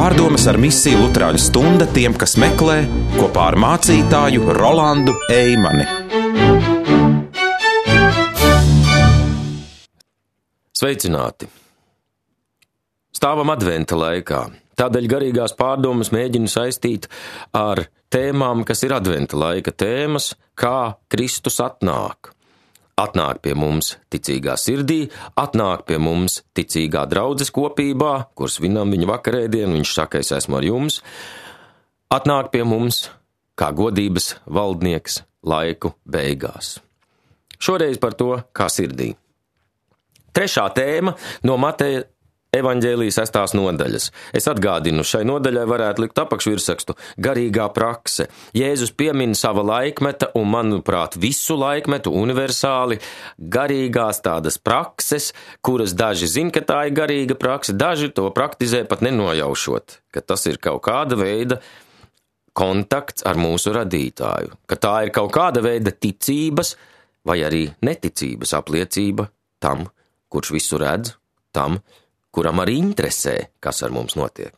Pārdomas ar misiju Luterāņu stunda tiem, kas meklē, kopā ar mācītāju Rolandu Eimani. Sveicināti! Stāvam adventa laikā. Tādēļ garīgās pārdomas mēģinu saistīt ar tēmām, kas ir adventa laika tēmas, kā Kristus atnāk. Atnāk pie mums ticīgā sirdī, atnāk pie mums ticīgā draudzes kopībā, kur svinam viņa vakarēdienu, viņš saka, es esmu ar jums. Atnāk pie mums kā godības valdnieks laiku beigās. Šoreiz par to, kā sirdī. Trešā tēma no Mateja evaņģēlijas 6. nodaļas. Es atgādinu, šai nodaļai varētu likt apakšvirsrakstu garīgā prakse. Jēzus piemin sava laikmeta un, manuprāt, visu laikmetu universāli garīgās tādas prakses, kuras daži zin, ka tā ir garīga prakse, daži to praktizē pat nenojaušot, ka tas ir kaut kāda veida kontakts ar mūsu radītāju, ka tā ir kaut kāda veida ticības vai arī neticības apliecība tam, kurš visu redz, tam, kuram arī interesē, kas ar mums notiek.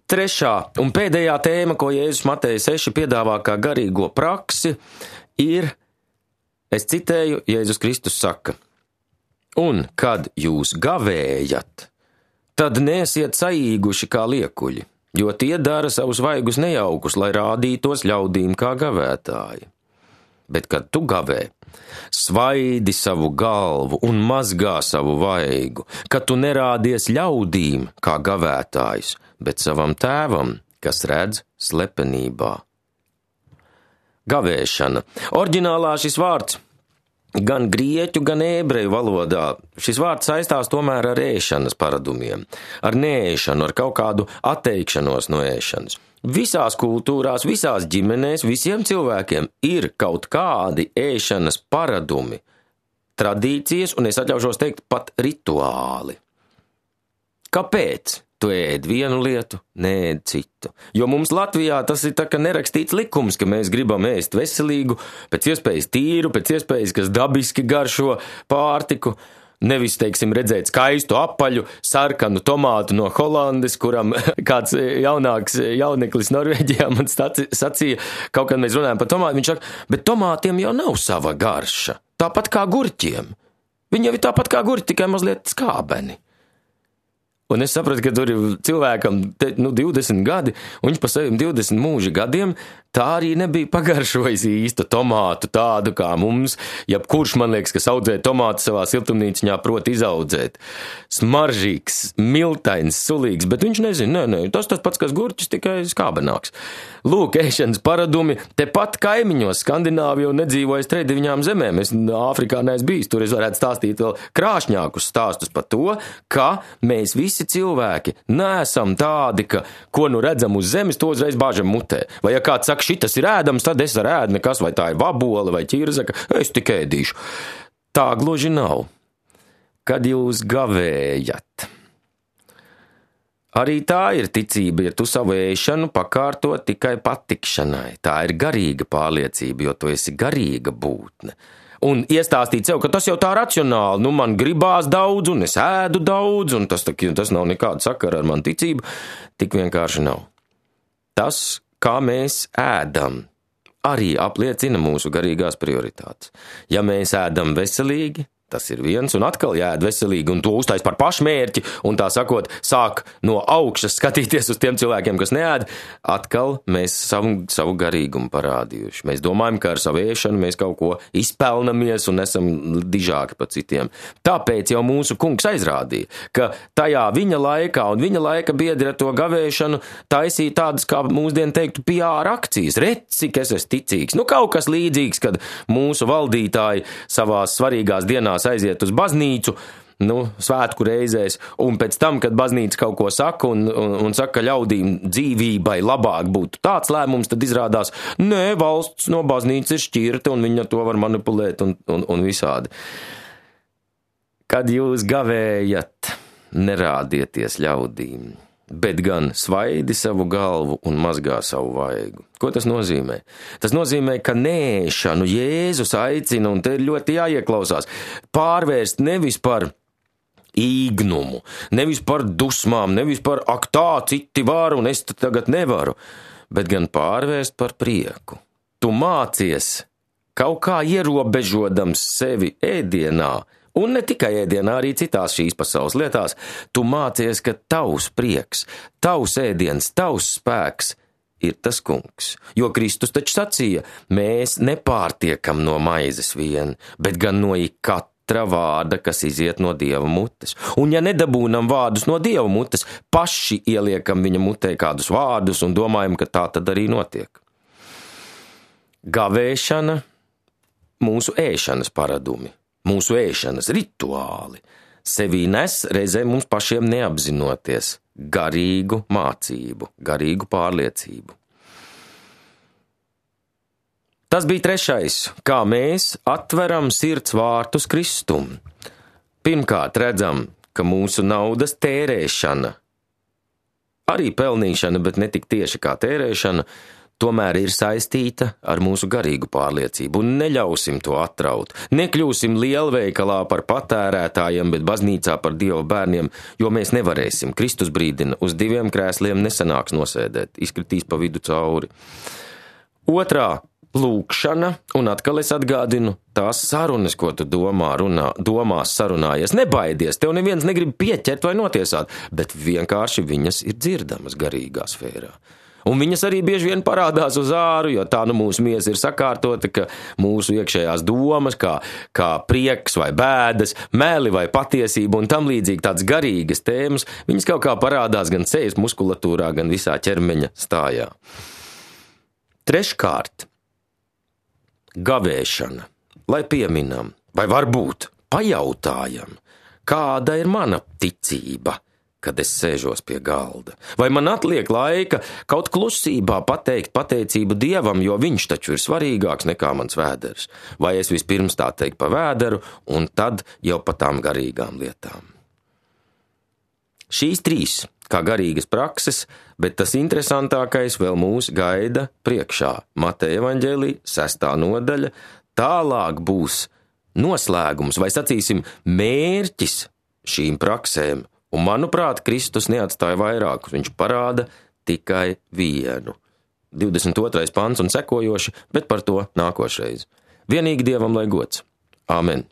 Trešā un pēdējā tēma, ko Jēzus Mateja 6 piedāvā kā garīgo praksi, ir, es citēju, Jēzus Kristus saka, un kad jūs gavējat, tad neesiet saīguši kā liekuļi, jo tie dara savus vaigus nejaukus, lai rādītos ļaudīm kā gavētāji. Bet, kad tu gavē, svaidi savu galvu un mazgā savu vaigu, kad tu nerādies ļaudīm kā gavētājs, bet savam tēvam, kas redz slepenībā. Gavēšana. Oriģinālā šis vārds gan grieķu, gan ebreju valodā. Šis vārds saistās tomēr ar ēšanas paradumiem, ar neēšanu, ar kaut kādu atteikšanos no ēšanas. Visās kultūrās, visās ģimenēs, visiem cilvēkiem ir kaut kādi ēšanas paradumi, tradīcijas, un es atļaušos teikt pat rituāli. Kāpēc tu ēd vienu lietu, neēd citu? Jo mums Latvijā tas ir tā kā nerakstīts likums, ka mēs gribam ēst veselīgu, pēc iespējas tīru, pēc iespējas, kas dabiski garšo pārtiku. Nevis, teiksim, redzēt skaistu apaļu, sarkanu tomātu no Holandes, kuram kāds jaunāks jauneklis Norvēģijā man sacīja, kaut kad mēs runājam par tomātu, viņš saka, bet tomātiem jau nav sava garša, tāpat kā gurķiem. Viņi jau ir tāpat kā gurķi, tikai mazliet skābeni. Un es sapratu, ka tur ir cilvēkam 20 gadi, un viņš pa saviem 20 mūža gadiem tā arī nebija pagaršojis īstu tomātu tādu kā mums, jebkurš, man liekas, kas audzē tomātu savā siltumnīciņā prot izaudzēt. Smaržīgs, miltains, sulīgs, bet viņš nezina, tas pats, kas gurķis, tikai skābenāks. Lūk, ēšanas paradumi, tepat kaimiņos Skandināvijā nedzīvojas 39 zemēm. Es Āfrikā neesmu bijis, tur es varētu stāstīt vēl krāšņākus stāstus par to, ka mēs visi cilvēki neesam tādi, ka ko nu redzam uz zemes, to uzreiz bāžam mutē. Vai ja kāds saka, šitas ir ēdams, tad es ar ēdu nekas, vai tā ir vabola vai ķirzaka, es tik ēdīšu. Tā gluži nav. Kad jūs gavējat. Arī tā ir ticība, ja tu savu ēšanu pakārto tikai patikšanai. Tā ir garīga pārliecība, jo tu esi garīga būtne. Un iestāstīt sev, ka tas jau tā racionāli, man gribās daudz, un es ēdu daudz, un tas nav nekāda sakara ar manu ticību, tik vienkārši nav. Tas, kā mēs ēdam, arī apliecina mūsu garīgās prioritātes. Ja mēs ēdam veselīgi, tas ir viens, un atkal jāēd veselīgi, un to uztais par pašmērķi, un tā sakot, sāk no augšas skatīties uz tiem cilvēkiem, kas neēd, atkal mēs savu garīgumu parādījuši. Mēs domājam, ka ar savu ēšanu mēs kaut ko izpelnamies un esam dižāki par citiem. Tāpēc jau mūsu kungs aizrādīja, ka tajā viņa laikā un viņa laika biedri ar to gavēšanu taisīja tādas, kā mūsdien teiktu, PR akcijas. Redz, cik es esmu ticīgs. Kaut kas līdzīgs, kad mūsu valdītāji savās svarīgās dienās aiziet uz baznīcu, svētku reizēs, un pēc tam, kad baznīca kaut ko saka un saka, ka ļaudīm dzīvībai labāk būtu tāds lēmums, tad izrādās, valsts no baznīcas ir šķirta, un viņa to var manipulēt un visādi. Kad jūs gavējat, nerādieties ļaudīm, bet gan svaidi savu galvu un mazgā savu vaigu. Ko tas nozīmē? Tas nozīmē, ka nēšanu Jēzus aicina, un te ir ļoti jāieklausās, pārvērst nevis par īgnumu, nevis par dusmām, nevis par ak tā citi var un es tagad nevaru, bet gan pārvērst par prieku. Tu mācies kaut kā ierobežodams sevi ēdienā, un ne tikai ēdienā, arī citās šīs pasaules lietās, tu mācies, ka tavs prieks, tavs ēdiens, tavs spēks ir tas kungs. Jo Kristus taču sacīja, mēs nepārtiekam no maizes vien, bet gan no katra vārda, kas iziet no Dieva mutes. Un ja nedabūnam vārdus no Dieva mutes, paši ieliekam viņa mutē kādus vārdus un domājam, ka tā tad arī notiek. Gavēšana, mūsu ēšanas paradumi, mūsu ēšanas rituāli, sevī nes reizē mums pašiem neapzinoties garīgu mācību, garīgu pārliecību. Tas bija trešais, kā mēs atveram sirds vārtus Kristum. Pirmkārt redzam, ka mūsu naudas tērēšana, arī pelnīšana, bet ne tik tieši kā tērēšana, tomēr ir saistīta ar mūsu garīgu pārliecību, un neļausim to atraut. Nekļūsim lielveikalā par patērētājiem, bet baznīcā par Dieva bērniem, jo mēs nevarēsim. Kristus brīdina, uz 2 krēsliem nesanāks nosēdēt, izkritīs pa vidu cauri. Otrā, lūkšana, un atkal es atgādinu tās sarunas, ko tu domās sarunājies. Nebaidies, tev neviens negrib pieķert vai notiesāt, bet vienkārši viņas ir dzirdamas garīgā sfērā. Un viņas arī bieži vien parādās uz āru, jo tā mūsu miesa ir sakārtota, ka mūsu iekšējās domas, kā prieks vai bēdas, meli vai patiesība un tam līdzīgi tādas garīgas tēmas, viņas kaut kā parādās gan sejas muskulatūrā, gan visā ķermeņa stājā. Treškārt, gavēšana, lai pieminam, vai varbūt pajautājam, kāda ir mana ticība, kad es sēžos pie galda. Vai man atliek laika kaut klusībā pateikt pateicību Dievam, jo viņš taču ir svarīgāks nekā mans vēders? Vai es vispirms tā teikt pa vēderu, un tad jau pa tām garīgām lietām? Šīs 3 kā garīgas prakses, bet tas interesantākais vēl mūs gaida priekšā. Mateja evaņģēlija 6. nodaļa, tālāk būs noslēgums, vai sacīsim mērķis šīm praksēm. Un, manuprāt, Kristus neatstāja vairākus, viņš parāda tikai vienu. 22. pants un sekojoši, bet par to nākošreiz. Vienīgi Dievam lai gods. Āmen.